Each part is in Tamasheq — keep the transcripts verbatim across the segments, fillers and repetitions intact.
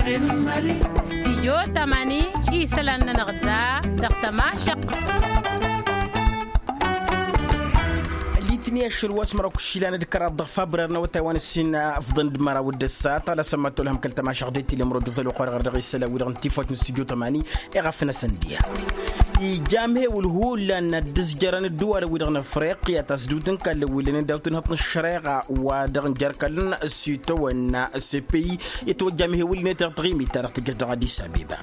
Stijyo tamani isălan-nănăɣ da dăɣ-tămašăɣt. Ălitni ašăl wa s-măraw kǝššilan d-kăraḍ dăɣ-fabrer n-awătay wa n-ǝssin afḍăn d-măraw d-ăssat ala sămmat tolhăm kăl-tămašăɣt d-tilǝmrod dăɣ-tăluqar ɣăr dăɣ-isălan wi-dăɣ n-tifawt n-stijyo tamani. Iɣaf n-asăndiya ija amhewǝl hullan n-ad-dd-ǝzjărăn ǝddǝwalăn-wi-dăɣ n-afriqya tasdut n-kallăn wi lănen daw-tǝnhăḍt n-ăššăreɣa wa dăɣ-n jer-kallăn s-itawănna s-epeyi. Itwăjja amhewǝl-net dăɣ-taɣimit-ta-dăɣ tǝjjăš dăɣ-adis abeba.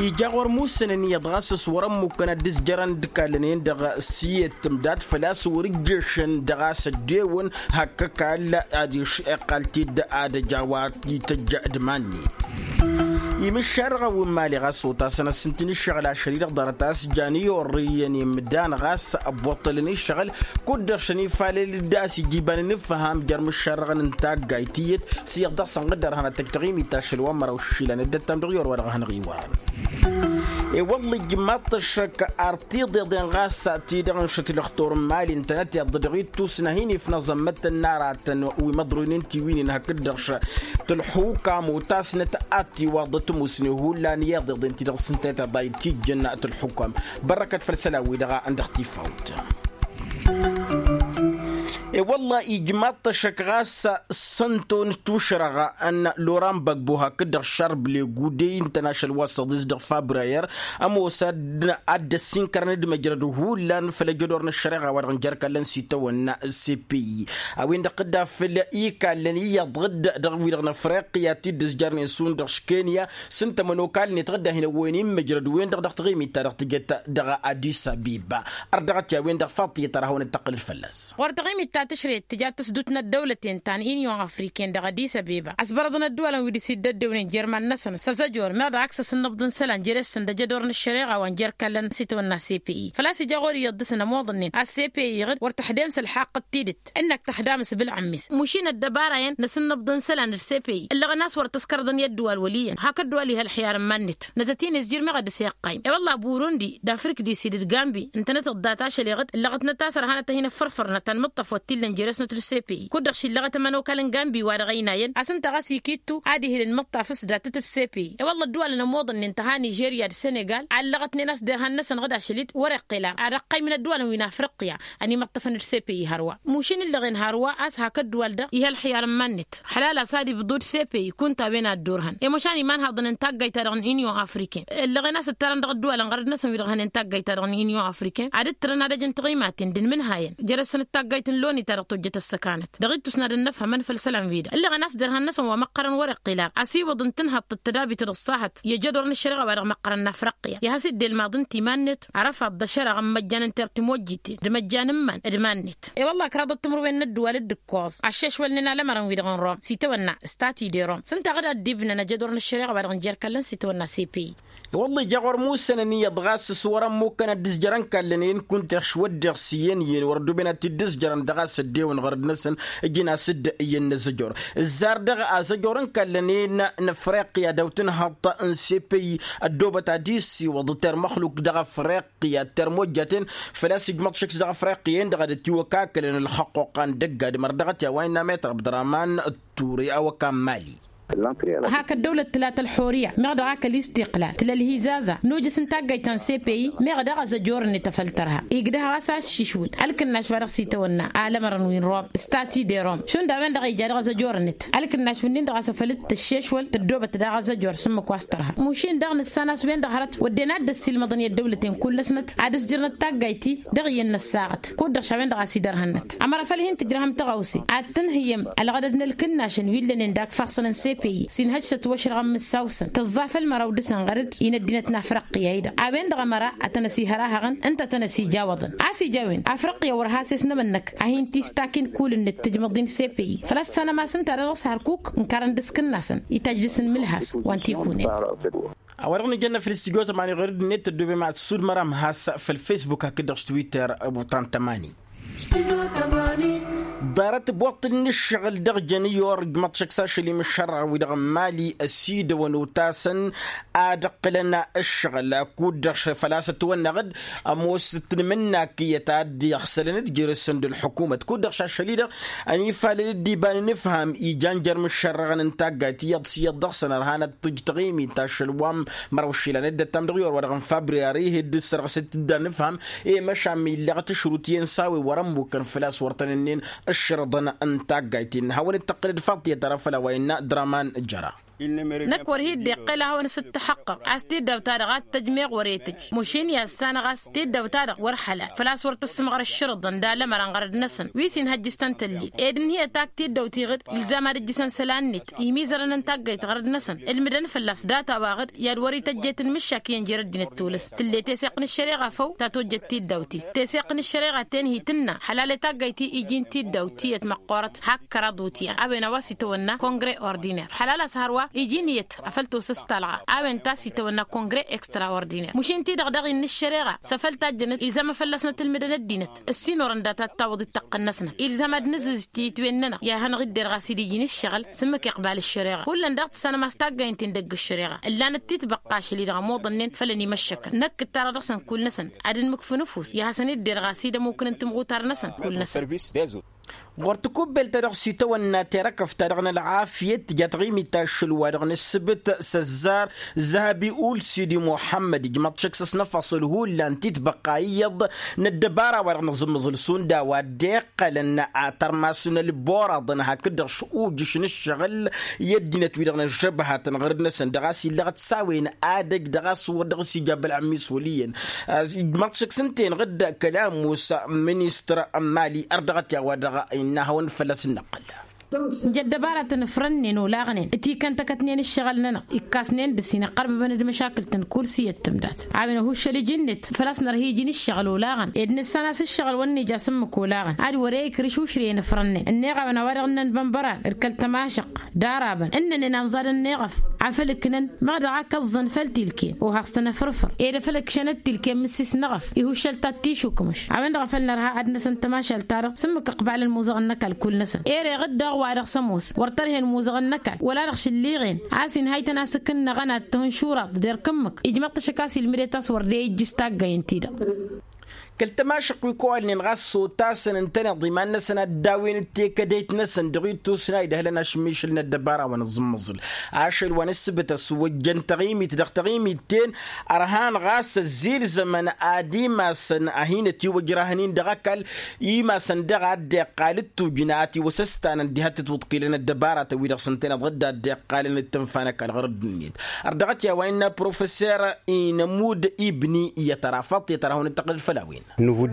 Ija ɣur-musănăn iyyăḍ ɣas s-wăr-ămmukăn ad-dd-ǝzjărăn d-kallăn-en-dăɣ s-iyyăt tǝmdad făl-a-s wăr-ǝjješăn dăɣ-a-s ăddeewăn hak ăkall adiš iqqal-t-dd ad-ăj a-wa ităjj d-iman-net. Imǝššarăɣăn wi n-imali ɣas otasăn ăssintǝn ǝššăɣǝl ašăl-i-dăɣ ḍarăt a-s jan i-orrǝyăn imdan ɣas ăbbuṭṭălăn ǝššăɣǝl kud-dăɣ šăn ifalăl d-a-s ija iba n-inǝfham jer-imǝššarăɣăn n-taggayt tiyyăt. S-iyyăḍ dăɣ-săn ɣǝddărhăn ad-tăj taɣimit ašăl wa n-măraw išilan dd-ăttam dăɣ-i orwa dăɣ-ehănăɣ iwar. I-wălla ijmaḍ-t ăššăk ar tiḍeḍen ɣas ti-dăɣ n-šăt lăxtur n-imali ǝntănăt iyyăḍ dăɣ-ittus n-ad-hin-ifna aẓămmăttăn n-aratăn wi măḍroynen tiwǝynen hakd-dăɣ šăt ălxukam otasnăt ad-tiwaḍăt musne hullan iḍeḍen ti-dăɣ s-ǝntănăt iḍa itijjăn tălxukam. Bărrăkăt făll-isălan-wi-dăɣ a ǝndăɣ tifawt. I-wălla ijmaḍ-t ăššăk ɣas s-ănton tušrăɣ n-loran băgbo hakd-dăɣ šarb legu de-i ǝntăn ašăl wa s-ăḍis dăɣ-fabrayăr. Ămoos ad-dd-ăssinkărăn d-măjrăd hullan făll-ejădor n-ăššăreɣa wa dăɣ-n jer-ikallăn s-itawănna s-epeyi. A-wen-dăɣ tǝdda făll-ikallăn iyyăḍ dd-dăɣ-wi-dăɣ n-afriqya ti dd-ǝzjărnen šund dăɣ-kenya s-ǝnta ămănokal-net dd-ad-hin-ăwwăyăn imăjrăd-wen-dăɣ dăɣ-taɣimit-ta-dăɣ tǝjăt dăɣ-adis abeba. Ărdăɣăt i-a-wen-dăɣ faḍt iyyăt ar hawăn-dd-tăqqǝlăd fălla-s. Ɣur-taɣimit ta tǝšrăyăt tǝja tăsdut n-ăddăwlăten ta n-inyon afriken dăɣ-adis abeba ăsbărăḍăn ăddăwalăn wi dăɣ-s-dd-ăddewnen jer-iman-năsăn s-azăjor meɣ dăɣ-ak s-asǝnnăbḍ n-isălan jere-săn d-ajădor n-ăššăreɣa wa n-jer-kallăn s-itawănna s-epeyi făl-a-s ija ɣur-iyyăḍ dăɣ-săn ămoḍănnen a s-epeyi iɣǝd wăr tăḥdem s-ălxaqq d-tidǝt. Ǝnnak tăxdam s-bǝlɣǝm-is mušin ăddăbara-en n-asǝnnǝbḍ n-isălan d-sepeyi ǝllăɣăn a-s wăr tăskărḍăn i-ăddǝwal wăl' iyyăn hakd dd-wăl' iha ălxiyar n-iman-net. Nătăt-in-izjǝr meɣ ad-dăr-s iqqayǝm i-wălla burundi d-afrikdisi d-gambi ǝntănăt ăḍḍat ašăl iɣǝd ǝllăɣătnăt a-s ărhanăt ad-hin-ăffărfărnăt ta n-imǝṭṭaf wăr t-illăn jere-snăt d-sepeyi kud-dăɣ šillăɣăt ămănokal n-gambi wa dăɣ-ăynayăn a-s ǝnta ɣas ikittu ad-ihǝl ǝlmǝṭṭaf s-datăt d-sepeyi i-wălla ăddǝwalăn ămoḍănnen tăha nižerya d-senegal a ǝllăɣătnen a-s derhan-năsăn ɣǝd ašăl-dd wăr-iqqel ar ad-ăqqaymǝn ăddǝwalăn wi n-afriqya. Ănimăṭṭăfăn d-sepeyi hărwa mušin ǝllăɣen hărwa a-s hak ăddǝwal-dăɣ iha ălxiyar n-iman-net. Ălxalal a-s ad-ibḍu d-sepeyi kunta a-wen a ăddurhăn i-măšan iman haḍăn n-taggayt-ta-dăɣ n-inyon afriken ǝllăɣen a-s ǝttarăn dăɣ-ăddǝwalăn ɣărăd-năsăn wi-dăɣ hănen taggayt-ta-dăɣ n-inyon afriken ad-ǝttărăn ad-ăj n-tiɣimaten d-inmǝnhayăn. Jere-săn d-taggayt n-loni ta dăɣ-tojjăt ăssăkanăt dăɣ-ittus n-ad-ănnăfhămăn făll-isălan-wi-dăɣ ǝllăɣen a-s derhan-năsăn wa măqqărăn wăr-iqqel ar ăsiwǝḍ n-tǝnhăḍt d-tădabit d-ăṣṣahăt i-ăjădor n-ăššăreɣa wa dăɣ-măqqărăn n-afriqya i-ad-has-dd-ilmaḍ n-timan-net. Arăfaḍ d-ašăreɣ n-imăjjan n-tertimojjiten d-imăjjan n-iman d-iman-net i-wălla ăkraḍăt timǝrwen n-ăddǝwal d-ǝkkoẓ ăššešwălnen alămărăn-wi-dăɣ n-rom s-itawănna statut de rom s-ǝnta ɣǝd ad-dd-ibnăn ăjădor n-ăššăreɣa wa dăɣ-n jer-kallăn s-itawănna sepeyi. Wălla ija ɣur-musănăn iyyăḍ ɣas s-wăr-ămmuk kănăt d-izjărăn kallăn-en kunta ăšwăddeɣ s-iyyăn iyyăn wăr-ăddoben ad-t-dd-izjărăn dăɣ-a-s ăddewăn ɣărăd-năsăn. Ǝjǝn-as-dd iyyăn n-azăjor ǝzzar dăɣ-azăjor n-kallăn-en n-afriqya daw-tǝnhăḍt n-sepeyi. Ăddoobăt ad-isiwăḍ termăxluk dăɣ-afriqya termojjaten făl-a-s ijmăḍ šăkk s-dăɣ-afriqya-en-dăɣ ad-ătiwăkakălăn ălxăqquqa n-dăgg-adǝm ărdăɣăt i-a-wa innă metăr abdărăman. Ture awăka n-mali. Hak ăddăwlăt tǝla tălxurǝya meɣ dăɣ-ak ălistiqlal tǝla ălhizaza nujǝs n-taggayt ta n-sepeyi meɣ dăɣ-azăjor-net afăl tărha igdăh ɣas aššišwǝl ălkǝnnaš wa dăɣ-s itawănna alămărăn wi n-rom statut de rom šund a-wen-dăɣ ija dăɣ-azăjor-net. Ălkǝnnaš-wǝnnin-dăɣ a-s afăl t-ăššešwăl tăddoobăt daɣ azăjor s-ǝmmǝk wa s-tărha mušin daɣ nǝssan a-s wen-dăɣ hărăt wădden ad-dd-ăssiilmăḍăn i-ăddăwlăten kull-năsnăt ad-ǝzjǝrnăt taggayt-i. Dăɣ-iyyăn n-ăssaɣăt kud-dăɣ šawen-dăɣ a-s idărhănnăt ămăra făl hin-tǝjrăhăm tăɣawse ad-tǝnhǝyyăm ălɣădăd n-ălkǝnnašăn wi ǝllănen d-akfassăn n-sepeyi s-inhăj s-ătwăšrăɣăn mǝssaw-săn tǝẓẓa făll-măraw dăɣ-săn ɣărăd-i n-ăddinăt n-afriqya-i-dăɣ a-wen-dăɣ ămăra ad-tăn-ăsihărahăɣăn ǝnta ad-tăn-ăsijawăḍăn a-s ija a-wen afriqya wăr has-esnămănnăk ad-hin-tistakin kul-net tǝjmăḍ-in sepeyi făl-ăssanăm a-s ǝnta a dăɣ-s hărkuk ǝnkărăn dăɣ-s kǝnnasăn itajj dăɣ-săn mǝlhas wa n-tikunen. A-wa-dăɣ nǝjănna făll-studyo tămani ɣur-dd-net tăddobem ad-sudmăram has-făll-facebook hakd-dăɣ s-twitter. Buṭan tămani. Ḍarăt boṭṭǝl n-ǝššăɣǝl dăɣ-jăn i-orǝj măṭšăk s-ašăl imǝššărrăɣ-wi-dăɣ n-mali ăsidăwăn otasăn ad-ǝqqǝlăn ǝššăɣǝl kud-dăɣ făl-a-s ătwănneɣ-dd ămoos tǝnmǝnnak iyyăt a dd-iɣsălăn d-jere-săn d-ălḥukumăt kud-dăɣ šašăl-i-dăɣ. Ănifalăl dd-iba n-inǝfham ijan jer-imǝššărrăɣăn n-taggayt iyyăḍ s-iyyăḍ dăɣ-săn ărhan ad-t-tǝjj taɣimit ašăl wa n-măraw išilan dd-ăttam dăɣ-i orwa-dăɣ n-fabriyari dd-ǝssărɣǝset-dd anǝfham i-măšan mi illeɣ tǝšrut iyyăn s-a-wen wăr-ămmukăn făl-a-s wăr tăn-ǝnnen ǝššărăḍăn n-taggayt-in hawăn-dd-tăqqǝlăd faḍt i-ad-tăra făll-a-wa innă draman jăra. Năkk wăr hi-dd-iqqǝl ad-hawăn-s dd-tăxăqqăɣ a-s tiddaw-ta-dăɣ ad-t-tăjmeɣ wăr-e tǝj. Mušin i-ad-sanăɣ a-s tiddaw-ta-dăɣ wăr hălal făl-a-s wăr tǝssǝmɣăr ǝššărǝḍăn d-alămărăn ɣărăd-năsăn wi s-inhăjj s-tăn-tăllil ed ǝnhǝyăt ak tiddaw-ti-ɣǝd ilzam ad-ǝjjǝsăn isălan-net imizărăn n-taggayt ɣărăd-năsăn ǝlmǝdăn fălla-s data-wa-ɣǝd i-ad-wăr-ităjj i-tǝnmǝššak iyyăn jer-ăddinăt tolăs tǝllet eseɣt n-ăššăreɣa făw ta tojjăt tiddaw-ti. Teseɣt n-ăššăreɣa-ten hi-tǝnna ălale taggayt-i iji n-tiddaw tiyyăt măqqoorăt hak kăraḍ utyan a-wen a-wa s-itawănna kongre ordiner ălale a-s hărwa iji n-iyyăt afăl tosăs talɣa a-wen ta s-itawănna kongre extraordiner mušin-ti-dăɣ dăɣ-i n-ăššăreɣa s-afăl tajjănăt ilzam a fălla-s nătǝlmǝdăn ăddinăt ǝssin orăn data ad-tawăḍ i-ǝṭṭăqqăn-năsnăt ilzam ad-nǝzǝzǝj tiyǝtwen-nănăɣ i-ad-hanăɣ-dd-irɣas-dd iji n-ǝššăɣǝl s-ǝmmǝk iqbal ăššăreɣa hullan daɣ tǝssanăm a-s taggay n-tindăgg ăššăreɣa ǝllanăt titbăqqa ašăl-i-dăɣ ămoḍănnen făll-ănimăššăkăn năkk ǝttarăɣ dăɣ-săn kull-năsăn ad-ǝnmǝkfǝn ăfuss i-ad-hasăn-dd-irɣas-dd ămmukǝn n-timɣutar-năsăn kull-năsăn. Ɣur-tikubbelt ta dăɣ-s itawănna terăkăft ta dăɣ-nălɣafyăt tǝja taɣimit ašăl wa dăɣ-nǝssǝbǝt s-ăzzar zăhăbi ul sidi muḥămmăd ijmăḍ šăkk s-ăsnăfăṣăl hullan titbăqqa iyyăḍ n-ăddăbara wa dăɣ-nǝẓǝmmăẓǝl šund a-wa dd-iqqălăn a tărmas n-ălboraḍăn hakd-dăɣ š-ujǝš n-ǝššăɣǝl i-ăddinăt-wi-dăɣ n-ăžžăbhatăn ɣărăd-năsăn dăɣ-a-s illăɣăt s-a-wen adăj dăɣ-a-s wăr dăɣ-s ija bălɣămmis wăl' iyyăn. Ijmăḍ šăkk s-ǝnta-en ɣǝd kăla ămoos ministăr n-mali ărdăɣăt i-a-wa-dăɣ innă hawăn-dd fălla-s n-năqqăl. Nǝja ăddăbaratăn ǝfrănnen olaɣnen ǝtikăn tăkătnen ǝššăɣǝl-nănăɣ ikkasnen dăr-s inăqqărbăbăn d-măšakǝl-tăn kull s-iyyăt tǝmdat. A-wen ăhuššăl iji-net făl-a-s nărha iji n-ǝššăɣǝl olaɣăn ed nǝssan a-s ǝššăɣǝl wăr nǝja s-ǝmmǝk olaɣăn ad-wăr-e ikrǝš ušrǝyăn ǝfrănnen ǝnneɣ a-wen a-wa dăɣ-ǝnnăn bănbăran d-kăl-tămašăq d-arabăn ǝnnănen amẓad ănneɣăf afăl ǝknăn măɣ dăɣ-ak ăẓẓăn făll-tilken ohaɣ s-tăn-ăfrǝfăr ed afăl ǝkšănăt tilken mǝssis n-eɣăf. Ihǝššăl ta t-išukmǝš a-wen-dăɣ a făl nărha ad-năsăn tămašalt-ta-dăɣ s-ǝmmǝk ǝqbalăn muzăɣăn n-ăkall kull-năsăn ereɣ-dd dăɣ-wa-dăɣ s-ămoos wăr tărhen muzăɣăn n-ăkall wăla dăɣ-šǝlliɣen a-s inhăy-tăn a-s ǝkǝnnăɣăn ad-tǝhǝnšuraḍ d-erk ǝmmǝk. Ijmăḍ-t ašăk a-s ilmǝdet a-s wăr dd-e ijjǝs taggay ǝnta-i-dăɣ. Kăl-tămašăq wi kăwalnen ɣas s-otasăn ǝntăneḍ iman-năsăn ad-dd-a-wen d-tekădăyt-năsăn dăɣ-ittus n-a idăhlăn ašmišǝl n-ăddăbara wa n-aẓǝmmăẓǝl ašăl wa n-ǝssǝbǝt ăswăjjăn taɣimit dăɣ-taɣimit-ten. Ărhan ɣas ăzzilzămăn ad-imasăn a hin-ătiwăjrahăn-in dăɣ-ăkall imasăn daɣ a dd-iqqal d-tujǝn a ătiwăsăstanăn diha t-ătwǝḍkilăn ăddăbaratăn-wi-dăɣ s-ǝntăneḍ ɣǝdda a dd-iqqalăn d-tǝnfa n-ăkall ɣur-ăddinăt. Ărdăɣăt i-a-wa innă professor inămud ibni i-ad-tăra faḍt i-ad-tăra hawăn-dd-tăqqǝlăd făll-a-wen.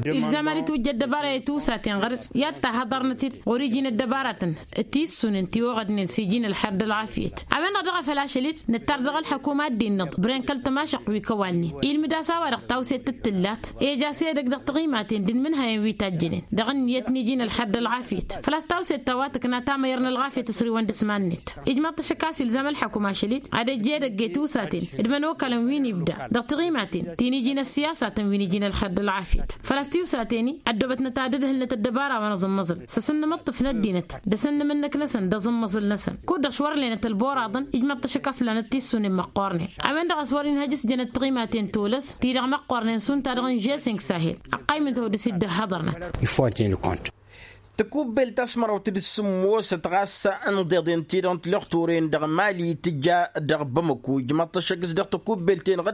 Ilzam ad-itwǝjja ăddăbara i-tusaten ɣăr-dd i-ad-tahăḍărnăt-dd ɣur-iji n-ăddăbaratăn d-tissunen ti oɣădnen s-iji n-ălxer d-ălɣafyăt. A-wen-dăɣ daɣ a făl ašăl-dd nǝttar dăɣ-ălḥăkum ad-dd-innăḍ bren kăl-tămašăq wi kăwalnen ilmǝd-as a-wa-dăɣ tawset d-tǝllat. Ej'-as edăgg dăɣ-taɣimaten d-inmǝnhăyăn wi tajjănen dăɣ-ǝnniyăt n-iji n-ălxer d-ălɣafyăt făl-a-s tawset ta wa tǝkna tamăyăr n-ălɣafyăt ăsriwăn dăɣ-s iman-net. Ijmaḍ-t ašăk a-s ilzam ălḥăkum ašăl-dd ad-ăj edăgg i-tusaten d-imănokalăn wi n-ibda dăɣ-taɣimaten ti n-iji n-ăssiyasaten wi n-iji n-ălxer d-ălɣafyăt. Făl-a-s tiwsaten-i ăddoobătnăt ad-dd-ǝdhǝlnăt ăddăbara wa n-aẓǝmmăẓǝl s-asǝnnǝmǝṭṭǝf n-ăddinăt d-asǝnnǝmǝnnǝk-năsăn d-aẓǝmmăẓǝl-năsăn. Kud-dăɣ s-wăr lenăt ălboraḍăn ijmaḍ-t ašăk a-s lanăt tissunen măqqoornen. A-wen-dăɣ a-s wăr-inhăj s-jănăt tiɣimaten tolăs ti-dăɣ măqqoornen šund ta-dăɣ n-žeseng sahel. Ăqqaymǝn-t odǝs-dd ăhhăḍărnăt. Tikubbelt ta s-măraw-t d-sǝmmosăt ɣas n-iḍeḍen-ti-dăɣ n-tilăxturen dăɣ-mali tǝja dăɣ-bamăku ijmaḍ-t ašăk s-dăɣ-tikubbelt-en-dăɣ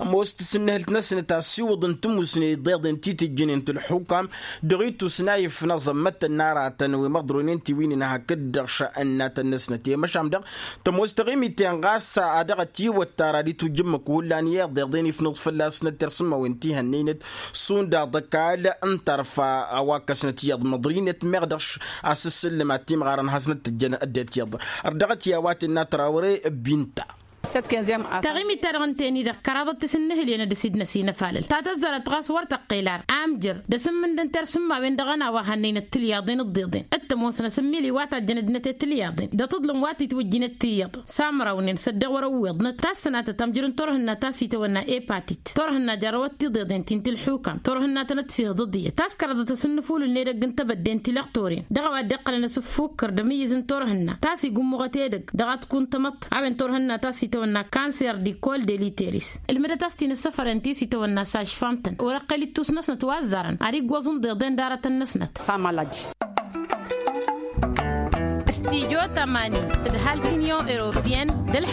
ămoos tasǝnnǝhǝlt-năsnăt asiwǝḍ n-tǝmmusne iḍeḍen ti tǝjjǝnen tǝlxukam dăɣ-itus n-a ifnăẓ ămmăttăn n-aratăn wi măḍronen tiwǝynen hakd-dăɣ šănnatăn-năsnăt i-măšan dăɣ-tămoos taɣimit-en ɣas a dăɣ-ătiwăttar ad-itwǝjj ǝmmǝk hullan i-iḍeḍen ifnǝẓ fălla-snăt tersǝmmawen ti hănnăynăt šund aḍăkal n-tarfa a-wa ǝkkăsnăt iyyăḍ măḍrinăt meɣ dăɣ-š asǝssǝllǝm ad-timɣarăn hasnăt-tǝjjăn ăddinăt iyyăḍ. Ărdăɣăt i-a-wa tǝnna trawre binta. Taɣimit-ta-dăɣ ǝnta-en-i-dăɣ kăraḍăt tisǝnnǝhǝlyen d-asidnăs inăfalăl ta tăzzarăt ɣas wăr tăqqel ar amjăr d-asǝmmǝndăn tersǝmmawen dăɣ-ănn a-wa hannăynăt tilyaḍen d-iḍeḍen d-tămoosăn asǝmmili wa tajjăn ăddinăt i-tilyaḍen d-aṭṭǝḍlǝm wa t-itwǝjjinăt tiyyăḍ. Samrawnen s-ăddeɣ wăr-ăwweḍnăt ta s-tănatăt amjăr n-turhǝnna ta s-itawănna epătit turhǝnna jarrăwăt tiḍeḍen ti n-tilḥukam turhǝnna tănăt-sihǝḍǝḍ iyyăt ta s-kăraḍăt asǝnnǝfulǝl n-edăgg n-tebădde n-tilăxtoren dăɣ-a-wa dd-iqqălăn asǝffukǝr d-amǝyyǝz n-turhǝnna ta s-igǝmmuɣăt edăgg dăɣ-ad-t-kuntamăḍt a-wen turhǝnna ta s-itawănna kanser d-ikol d-eliteris. Ǝlmǝdăt a-s tinăssăfăren ti s-itawănna sažfam-tăn wăr-ăqqel ittus-năsnăt wa ăzzarăn ad-iggoẓ n-iḍeḍen d-aratăn-năsnăt. Samălăj. Studyo tămani d-ăhalk union europeyăn d-ălḥăr.